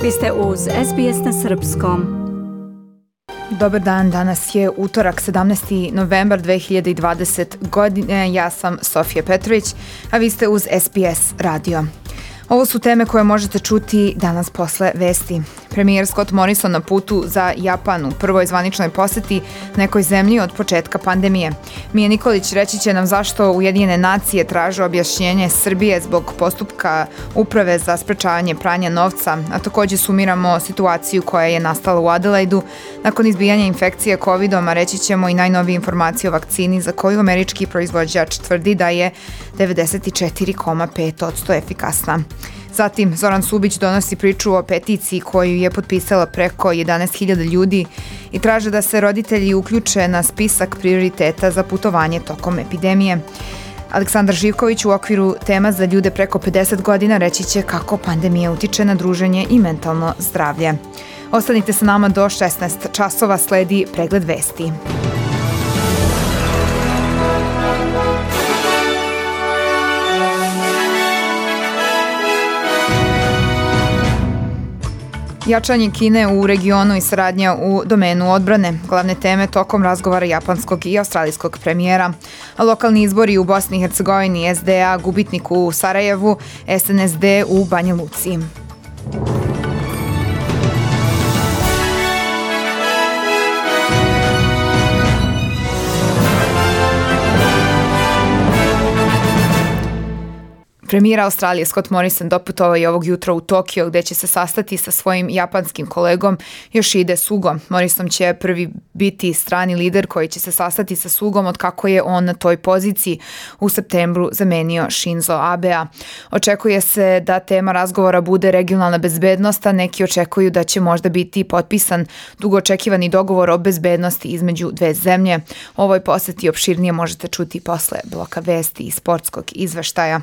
Vi ste uz SBS na Srpskom. Dobar dan, danas je utorak 17. novembar 2020 godine. Ja sam Sofija Petrović, a vi ste uz SBS radio. Ovo su teme koje možete čuti danas posle vesti. Premijer Scott Morrison na putu za Japan u prvoj zvaničnoj poseti nekoj zemlji od početka pandemije. Mija Nikolić reći će nam zašto Ujedinjene nacije traže objašnjenje Srbije zbog postupka Uprave za sprečavanje pranja novca, a također sumiramo situaciju koja je nastala u Adelaidu nakon izbijanja infekcije COVID-om, a reći ćemo i najnovije informacije o vakcini za koju američki proizvođač tvrdi da je 94,5% efikasna. Zatim, Zoran Subić donosi priču o peticiji koju je potpisala preko 11.000 ljudi i traže da se roditelji uključe na spisak prioriteta za putovanje tokom epidemije. Aleksandar Živković u okviru tema za ljude preko 50 godina reći će kako pandemija utiče na druženje i mentalno zdravlje. Ostanite sa nama do 16 časova, sledi pregled vesti. Jačanje Kine u regionu i saradnja u domenu odbrane, glavne teme tokom razgovara japanskog i australijskog premijera. Lokalni izbori u Bosni i Hercegovini, SDA gubitnik u Sarajevu, SNSD u Banja Luci. Premijer Australije Scott Morrison doputovao je ovog jutra u Tokio gdje će se sastati sa svojim japanskim kolegom Yoshihide Sugom. Morrison će prvi biti strani lider koji će se sastati sa Sugom od kako je on na toj poziciji u septembru zamenio Shinzo Abea. Očekuje se da tema razgovora bude regionalna bezbednost, a neki očekuju da će možda biti potpisan dugo očekivani dogovor o bezbednosti između dve zemlje. O ovoj poseti opširnije možete čuti posle bloka vesti i sportskog izveštaja.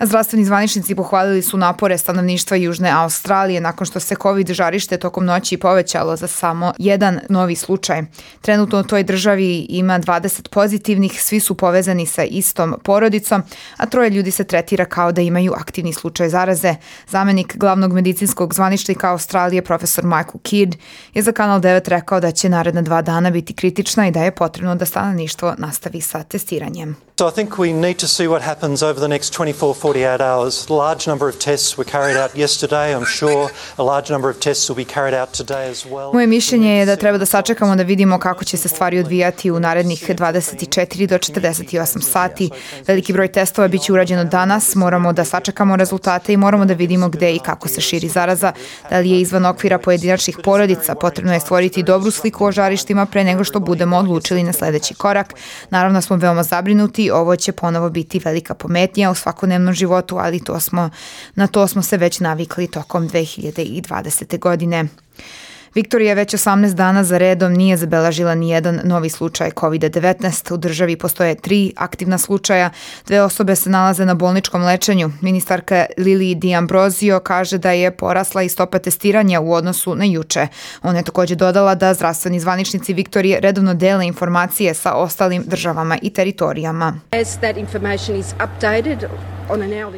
Zdravstveni zvaničnici pohvalili su napore stanovništva Južne Australije nakon što se COVID žarište tokom noći povećalo za samo jedan novi slučaj. Trenutno u toj državi ima 20 pozitivnih, svi su povezani sa istom porodicom, a 3 ljudi se tretira kao da imaju aktivni slučaj zaraze. Zamenik glavnog medicinskog zvaničnika Australije, profesor Michael Kidd, je za Kanal 9 rekao da će naredna 2 dana biti kritična i da je potrebno da stanovništvo nastavi sa testiranjem. So I think we need to see what happens over the next 48 hours. A large number of tests were carried out yesterday. I'm sure a large number of tests will be carried out today as well. Moje mišljenje je da treba da sačekamo da vidimo kako će se stvari odvijati u narednih 24 do 48 sati. Veliki broj testova biće urađeno danas. Moramo da sačekamo rezultate i moramo da vidimo gde i kako se širi zaraza. Da li je izvan okvira pojedinačnih porodica? Potrebno je stvoriti dobru sliku o žarištima pre nego što budemo odlučili na sledeći korak. Naravno smo veoma zabrinuti. Ovo će ponovo biti velika pometnja u svakodnevnom životu, ali na to smo se već navikli tokom 2020. godine. Viktorija već 18 dana za redom nije zabeležila ni jedan novi slučaj COVID-19. U državi postoje 3 aktivna slučaja. 2 osobe se nalaze na bolničkom lečenju. Ministarka Lili D'Ambrosio kaže da je porasla i stopa testiranja u odnosu na juče. Ona je također dodala da zdravstveni zvaničnici Viktorije redovno dele informacije sa ostalim državama i teritorijama.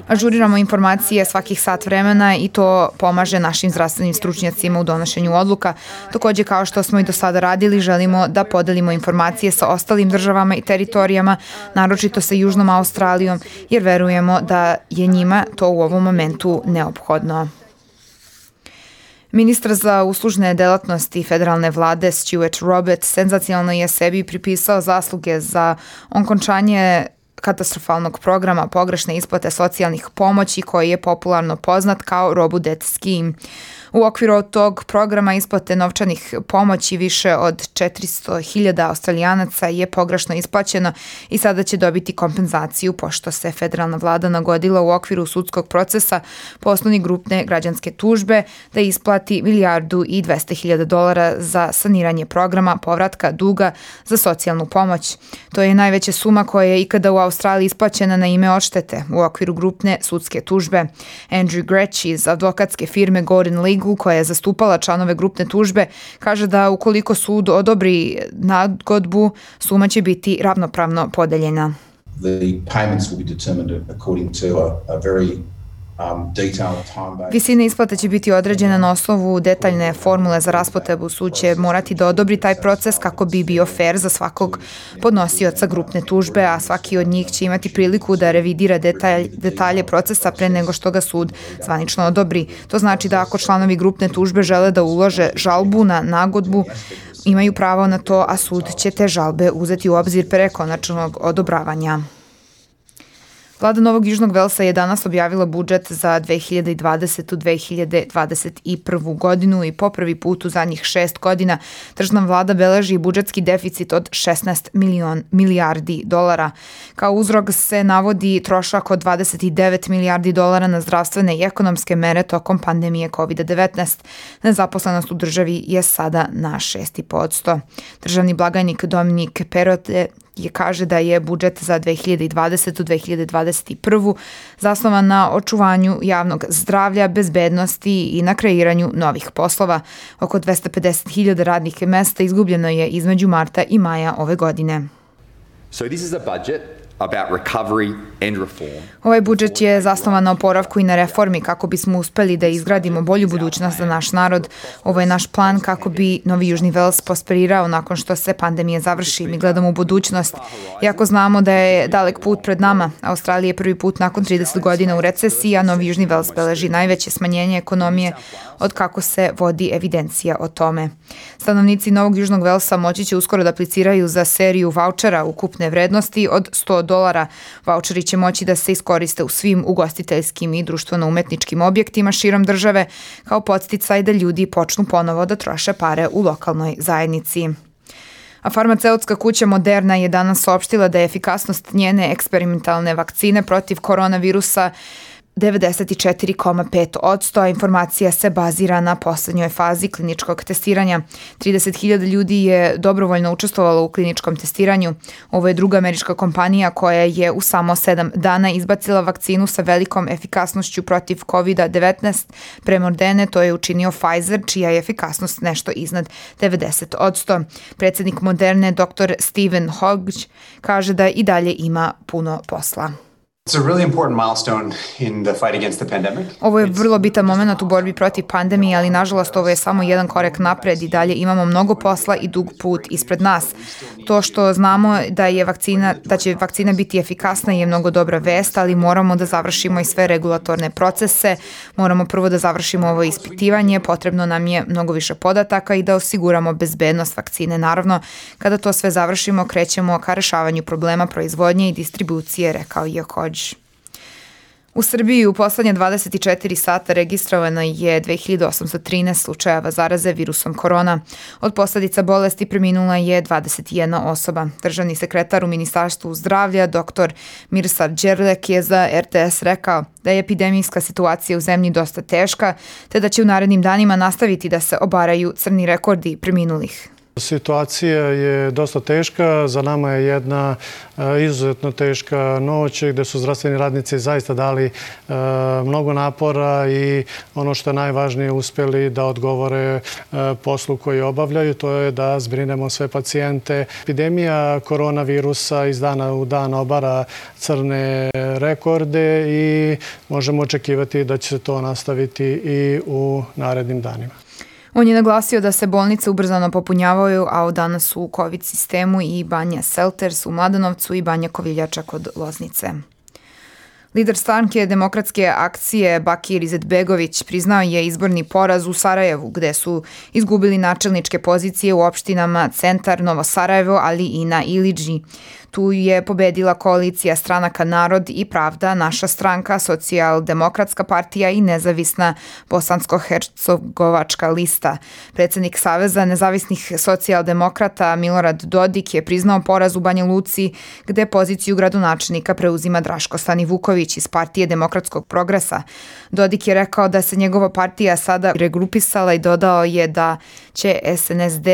Ažuriramo informacije svakih sat vremena i to pomaže našim zdravstvenim stručnjacima u donošenju odluka. Također, kao što smo i do sada radili, želimo da podelimo informacije sa ostalim državama i teritorijama, naročito sa Južnom Australijom, jer verujemo da je njima to u ovom momentu neophodno. Ministar za uslužne delatnosti federalne vlade Stuart Roberts senzacionalno je sebi pripisao zasluge za okončanje katastrofalnog programa pogrešne isplate socijalnih pomoći koji je popularno poznat kao Robu Debt Scheme. U okviru tog programa isplate novčanih pomoći više od 400.000 Australijanaca je pogrešno isplaćeno i sada će dobiti kompenzaciju pošto se federalna vlada nagodila u okviru sudskog procesa po osnovi grupne građanske tužbe da isplati $1.200.000 za saniranje programa povratka duga za socijalnu pomoć. To je najveća suma koja je ikada u Australiji isplaćena na ime odštete u okviru grupne sudske tužbe. Andrew Gretsch iz advokatske firme Gordon Legal, koja je zastupala članove grupne tužbe, kaže da ukoliko sud odobri nagodbu, suma će biti ravnopravno podeljena. The payments will be determined according to a very Visina isplate će biti određena na osnovu detaljne formule za raspodelu. Sud će morati da odobri taj proces kako bi bio fair za svakog podnosioca grupne tužbe, a svaki od njih će imati priliku da revidira detalje procesa pre nego što ga sud zvanično odobri. To znači da ako članovi grupne tužbe žele da ulože žalbu na nagodbu, imaju pravo na to, a sud će te žalbe uzeti u obzir pre konačnog odobravanja. Vlada Novog Južnog Velsa je danas objavila budžet za 2020-2021 godinu i po prvi put u zadnjih 6 godina tržna vlada beleži budžetski deficit od 16 milijardi dolara. Kao uzrok se navodi trošak od 29 milijardi dolara na zdravstvene i ekonomske mere tokom pandemije COVID-19. Nezaposlenost u državi je sada na 6,5%. Državni blagajnik Dominik Perote kaže da je budžet za 2020-2021 zasnovan na očuvanju javnog zdravlja, bezbednosti i na kreiranju novih poslova. Oko 250.000 radnih mesta izgubljeno je između marta i maja ove godine. So this is a budget about recovery and reform. Ovaj budžet je zasnovan na oporavku i na reformi kako bismo uspeli da izgradimo bolju budućnost za naš narod. Ovo je naš plan kako bi Novi Južni Vels prosperirao nakon što se pandemija završi. Mi gledamo u budućnost. Iako znamo da je dalek put pred nama, Australija je prvi put nakon 30 godina u recesiji, a Novi Južni Vels beleži najveće smanjenje ekonomije od kako se vodi evidencija o tome. Stanovnici Novog Južnog Velsa moći će uskoro da apliciraju za seriju vaučera ukupne vrednosti od $100. Vaučeri će moći da se iskoriste u svim ugostiteljskim i društveno-umetničkim objektima širom države kao podsticaj da ljudi počnu ponovo da troše pare u lokalnoj zajednici. A farmaceutska kuća Moderna je danas saopštila da je efikasnost njene eksperimentalne vakcine protiv koronavirusa 94,5%, a informacija se bazira na poslednjoj fazi kliničkog testiranja. 30.000 ljudi je dobrovoljno učestvovalo u kliničkom testiranju. Ovo je druga američka kompanija koja je u samo 7 dana izbacila vakcinu sa velikom efikasnošću protiv COVID-19. Pre Moderne to je učinio Pfizer, čija je efikasnost nešto iznad 90%. Predsednik Moderne, dr. Stephen Hodge, kaže da i dalje ima puno posla. Ovo je vrlo bitan moment u borbi protiv pandemije, ali nažalost ovo je samo jedan korak napred i dalje imamo mnogo posla i dug put ispred nas. To što znamo da će vakcina biti efikasna je mnogo dobra vest, ali moramo da završimo i sve regulatorne procese, moramo prvo da završimo ovo ispitivanje, potrebno nam je mnogo više podataka i da osiguramo bezbednost vakcine. Naravno, kada to sve završimo, krećemo ka rešavanju problema proizvodnje i distribucije, rekao je Hodge. U Srbiji u poslednje 24 sata registrovano je 2813 slučajeva zaraze virusom korona. Od posledica bolesti preminula je 21 osoba. Državni sekretar u Ministarstvu zdravlja, dr. Miroslav Đerlek, je za RTS rekao da je epidemijska situacija u zemlji dosta teška, te da će u narednim danima nastaviti da se obaraju crni rekordi preminulih. Situacija je dosta teška, za nama je jedna izuzetno teška noć gde su zdravstveni radnici zaista dali mnogo napora i ono što je najvažnije uspeli da odgovore poslu koji obavljaju, to je da zbrinemo sve pacijente. Epidemija koronavirusa iz dana u dan obara crne rekorde i možemo očekivati da će se to nastaviti i u narednim danima. On je naglasio da se bolnice ubrzano popunjavaju, a od danas su u COVID sistemu i Banja Selters u Mladenovcu i Banja Koviljača kod Loznice. Lider stranke Demokratske akcije Bakir Izetbegović priznao je izborni poraz u Sarajevu, gde su izgubili načelničke pozicije u opštinama Centar, Novo Sarajevo, ali i na Ilidži. Tu je pobedila koalicija stranaka Narod i Pravda, Naša stranka, Socijaldemokratska partija i nezavisna Bosansko-hercegovačka lista. Predsednik Saveza nezavisnih socijaldemokrata Milorad Dodik je priznao poraz u Banja Luci, gde poziciju gradonačelnika preuzima Draško Stanivuković iz Partije demokratskog progresa. Dodik je rekao da se njegova partija sada regrupisala i dodao je da će SNSD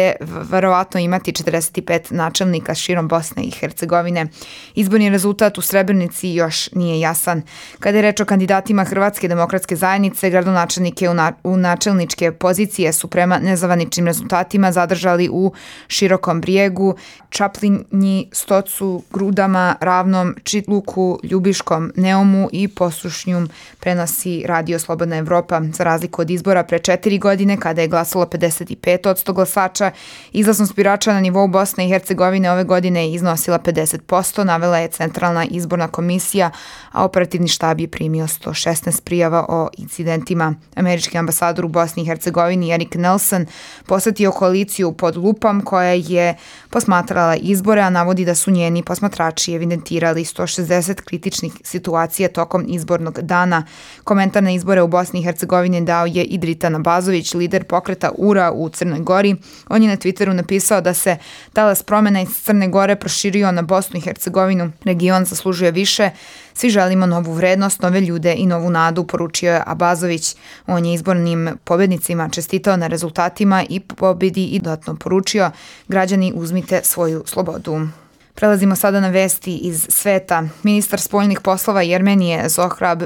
verovatno imati 45 načelnika širom Bosne i Hercegovine Hercegovine. Izborni rezultat u Srebrenici još nije jasan. Kada je reč o kandidatima Hrvatske demokratske zajednice, gradonačelnike u načelničke pozicije su prema nezvaničnim rezultatima zadržali u Širokom Brijegu, Čaplinji, Stocu, Grudama, Ravnom, Čitluku, Ljubiškom, Neumu i Posušnjum, prenosi Radio Slobodna Evropa. Za razliku od izbora pre 4 godine, kada je glasalo 55% glasača, izlaznost birača na nivou Bosne i Hercegovine ove godine je iznosila 50%, navela je Centralna izborna komisija, a operativni štab je primio 116 prijava o incidentima. Američki ambasador u Bosni i Hercegovini Erik Nelson posetio koaliciju pod lupom koja je posmatrala izbore, a navodi da su njeni posmatrači evidentirali 160 kritičnih situacija tokom izbornog dana. Komentar na izbore u Bosni i Hercegovini dao je i Dritan Abazović, lider pokreta URA u Crnoj Gori. On je na Twitteru napisao da se talas promena iz Crne Gore proširio na Bosnu i Hercegovinu. Region zaslužuje više. Svi želimo novu vrednost, nove ljude i novu nadu, poručio je Abazović. On je izbornim pobednicima čestitao na rezultatima i pobedi i dodatno poručio: građani, uzmite svoju slobodu. Prelazimo sada na vesti iz sveta. Ministar spoljnih poslova Jermenije Zohrab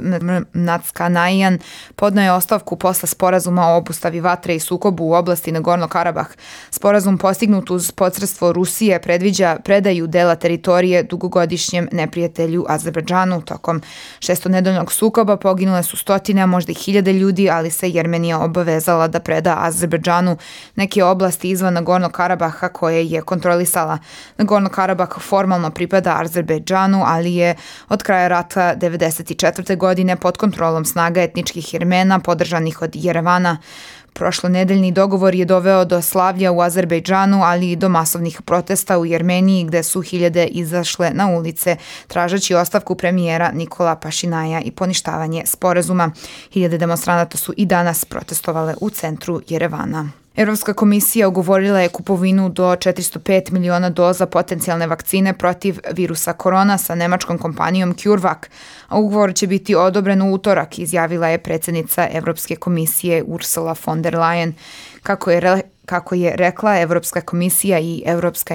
Natskanajan podneo je ostavku posle sporazuma o obustavi vatre i sukobu u oblasti Nagorno-Karabah. Sporazum postignut uz posredstvo Rusije predviđa predaju dela teritorije dugogodišnjem neprijatelju Azerbejdžanu. Tokom šestonedeljnog sukoba poginule su stotine, a možda i hiljade ljudi, ali se Jermenija obavezala da preda Azerbejdžanu neke oblasti izvan Nagorno-Karabaha koje je kontrolisala. Nagorno-Karabah formalno pripada Azerbejdžanu, ali je od kraja rata 1994. godine pod kontrolom snaga etničkih Jermena podržanih od Jerevana. Prošlonedeljni dogovor je doveo do slavlja u Azerbejdžanu, ali i do masovnih protesta u Jermeniji, gde su hiljade izašle na ulice tražeći ostavku premijera Nikola Pašinaja i poništavanje sporazuma. Hiljade demonstranata su i danas protestovale u centru Jerevana. Evropska komisija ugovorila je kupovinu do 405 miliona doza potencijalne vakcine protiv virusa korona sa nemačkom kompanijom CureVac, a ugovor će biti odobren u utorak, izjavila je predsjednica Evropske komisije Ursula von der Leyen. Kako je rekla, Evropska komisija i Evropska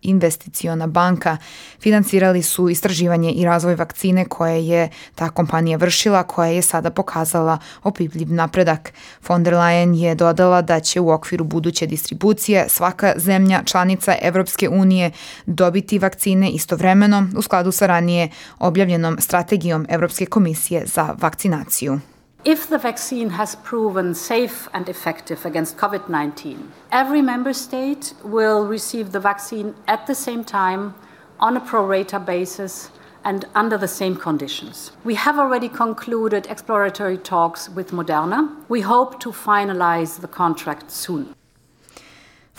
investiciona banka financirali su istraživanje i razvoj vakcine koje je ta kompanija vršila, koja je sada pokazala opipljiv napredak. Von der Leyen je dodala da će u okviru buduće distribucije svaka zemlja članica Evropske unije dobiti vakcine istovremeno u skladu sa ranije objavljenom strategijom Evropske komisije za vakcinaciju. If the vaccine has proven safe and effective against COVID-19, every member state will receive the vaccine at the same time, on a pro rata basis, and under the same conditions. We have already concluded exploratory talks with Moderna. We hope to finalize the contract soon.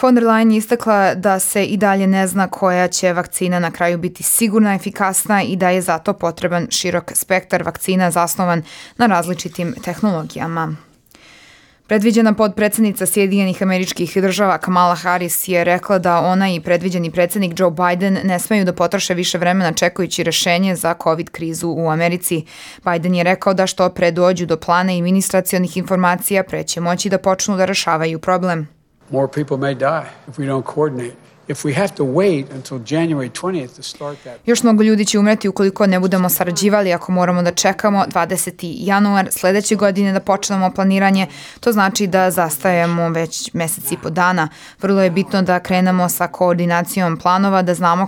Von der Leyen je istakla da se i dalje ne zna koja će vakcina na kraju biti sigurna, efikasna i da je zato potreban širok spektar vakcina zasnovan na različitim tehnologijama. Predviđena potpredsjednica Sjedinjenih Američkih Država Kamala Harris je rekla da ona i predviđeni predsjednik Joe Biden ne smeju da potroše više vremena čekajući rešenje za COVID krizu u Americi. Biden je rekao da što pre dođu do plana i ministracionih informacija, pre će moći da počnu da rešavaju problem. More people may die if we don't coordinate. If we have to wait until January 20th to start that. Još mnogo ljudi će umreti ukoliko ne budemo sarađivali, ako moramo da čekamo 20. januar sledeće godine da počnemo planiranje. To znači da zastajemo već mesec i po dana. Vrlo je bitno da krenemo sa koordinacijom planova, da znamo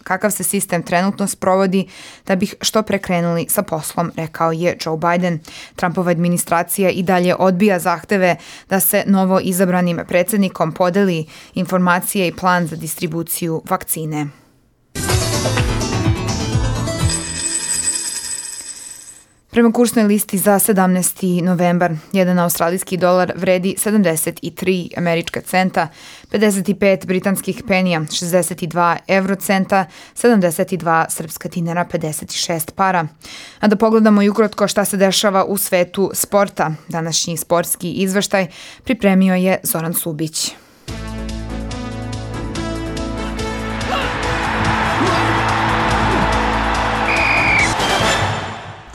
kakav se sistem trenutno sprovodi, da bih što pre krenuli sa poslom, rekao je Joe Biden. Trumpova administracija i dalje odbija zahteve da se novo izabranim predsjednikom podeli informacije i plan za distribuciju vakcine. Prema kursnoj listi za 17. novembar, jedan australijski dolar vredi 73 američka centa, 55 britanskih penija, 62 eurocenta, 72 srpska dinara, 56 para. A da pogledamo i ukratko šta se dešava u svetu sporta. Današnji sportski izveštaj pripremio je Zoran Subić.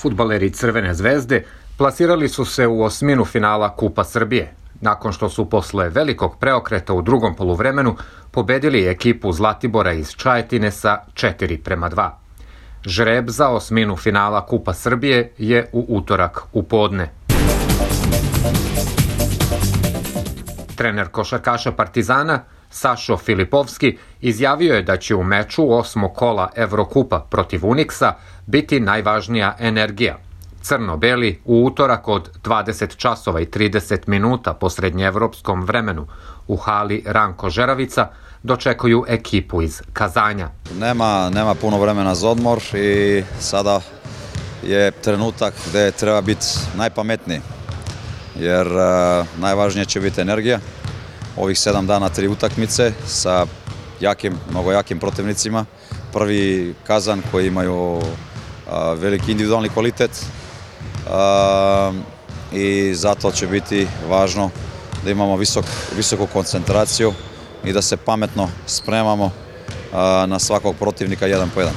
Fudbaleri Crvene zvezde plasirali su se u osminu finala Kupa Srbije. nakon što su posle velikog preokreta u drugom poluvremenu pobedili ekipu Zlatibora iz Čajetine sa 4:2. Žreb za osminu finala Kupa Srbije je u utorak u podne. Trener košarkaša Partizana Sašo Filipovski izjavio je da će u meču 8. kola Evrokupa protiv Uniksa biti najvažnija energija. Crno-beli u utorak od 20 časova i 30 minuta po srednjeevropskom vremenu u hali Ranko Žeravica dočekuju ekipu iz Kazanja. Nema puno vremena za odmor i sada je trenutak gde treba biti najpametniji, jer najvažnije će biti energija. Ovih 7 dana 3 utakmice sa mnogo jakim protivnicima. Prvi Kazan koji imaju veliki individualni kvalitet i zato će biti važno da imamo visoku koncentraciju i da se pametno spremamo na svakog protivnika 1 po 1.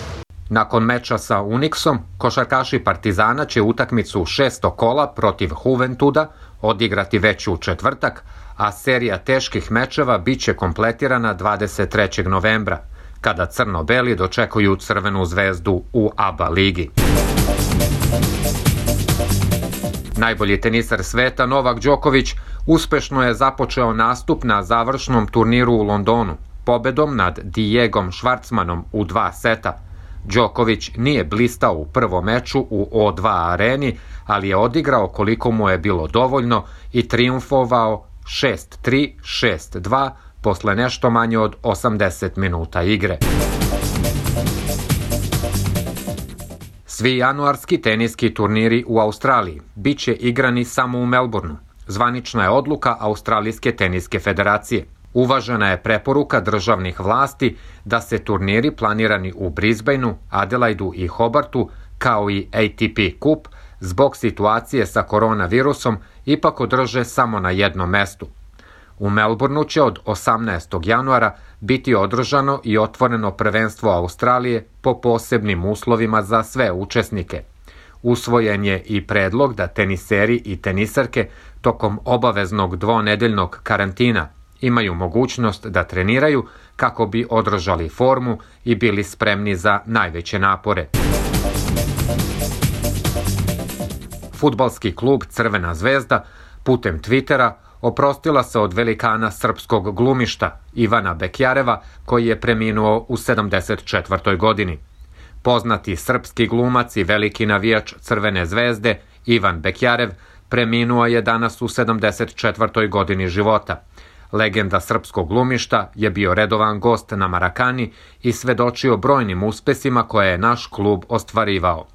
Nakon meča sa Uniksom, košarkaši Partizana će utakmicu 6. kola protiv Juventuda odigrati već u četvrtak, a serija teških mečeva biće kompletirana 23. novembra, kada crno-beli dočekuju Crvenu zvezdu u ABA ligi. Najbolji tenisar sveta Novak Đoković uspešno je započeo nastup na završnom turniru u Londonu, pobedom nad Diegom Švarcmanom u 2 seta. Đoković nije blistao u prvom meču u O2 areni, ali je odigrao koliko mu je bilo dovoljno i trijumfovao 6-3, 6-2 posle nešto manje od 80 minuta igre. Svi januarski teniski turniri u Australiji biće igrani samo u Melbourneu. Zvanična je odluka Australijske teniske federacije. Uvažena je preporuka državnih vlasti da se turniri planirani u Brisbaneu, Adelaidu i Hobartu, kao i ATP Kup, zbog situacije sa koronavirusom ipak održe samo na jednom mestu. U Melbourneu će od 18. januara biti održano i otvoreno prvenstvo Australije po posebnim uslovima za sve učesnike. Usvojen je i predlog da teniseri i tenisarke tokom obaveznog dvonedeljnog karantina imaju mogućnost da treniraju kako bi održali formu i bili spremni za najveće napore. Fudbalski klub Crvena zvezda putem Twittera oprostila se od velikana srpskog glumišta Ivana Bekjareva, koji je preminuo u 74. godini. Poznati srpski glumac i veliki navijač Crvene zvezde Ivan Bekjarev preminuo je danas u 74. godini života. Legenda srpskog glumišta je bio redovan gost na Marakani i svedočio brojnim uspesima koje je naš klub ostvarivao.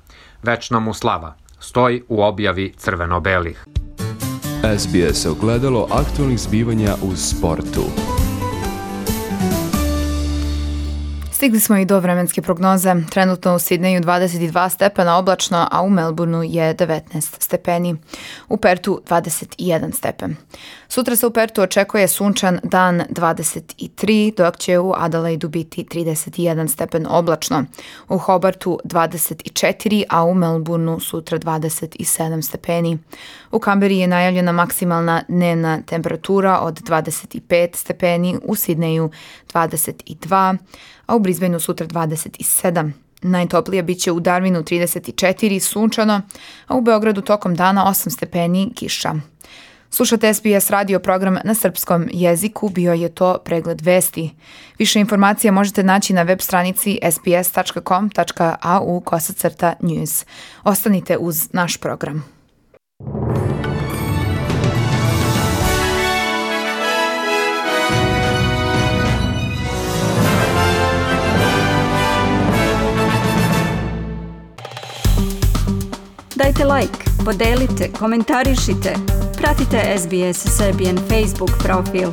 Večna mu slava stoji u objavi crveno-belih. SBS ogledalo aktualnih zbivanja u sportu. Stigli smo i do vremenske prognoze. Trenutno u Sidneju 22 stepena oblačno, a u Melbourneu je 19 stepeni. U Pertu 21 stepen. Sutra se u Pertu očekuje sunčan dan 23, dok će u Adelaidu biti 31 stepen oblačno. U Hobartu 24, a u Melbourneu sutra 27 stepeni. U Kamberi je najavljena maksimalna dnevna temperatura od 25 stepeni, u Sidneju 22, a u Brisbaneu sutra 27. Najtoplije biće u Darwinu 34, sunčano, a u Beogradu tokom dana 8 stepeni, kiša. Slušate SBS radio program na srpskom jeziku, bio je to pregled vesti. Više informacija možete naći na web stranici sbs.com.au/news. Ostanite uz naš program. Dajte like, podelite, komentarišite. Pratite SBS Serbian Facebook profil.